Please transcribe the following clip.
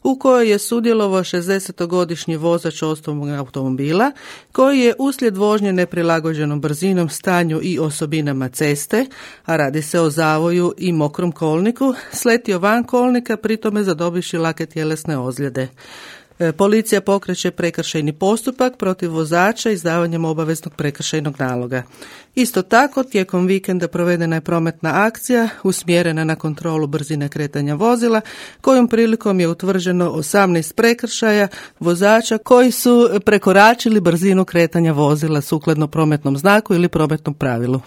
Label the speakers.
Speaker 1: u kojoj je sudjelovao 60-godišnji vozač osobnog automobila koji je uslijed vožnje neprilagođenom brzinom, stanju i osobinama ceste, a radi se o zavoju i mokrom kolniku, sletio van kolnika, pritome zadobivši lake tjelesne ozljede. Policija pokreće prekršajni postupak protiv vozača izdavanjem obaveznog prekršajnog naloga. Isto tako, tijekom vikenda provedena je prometna akcija usmjerena na kontrolu brzine kretanja vozila, kojom prilikom je utvrđeno 18 prekršaja vozača koji su prekoračili brzinu kretanja vozila sukladno prometnom znaku ili prometnom pravilu.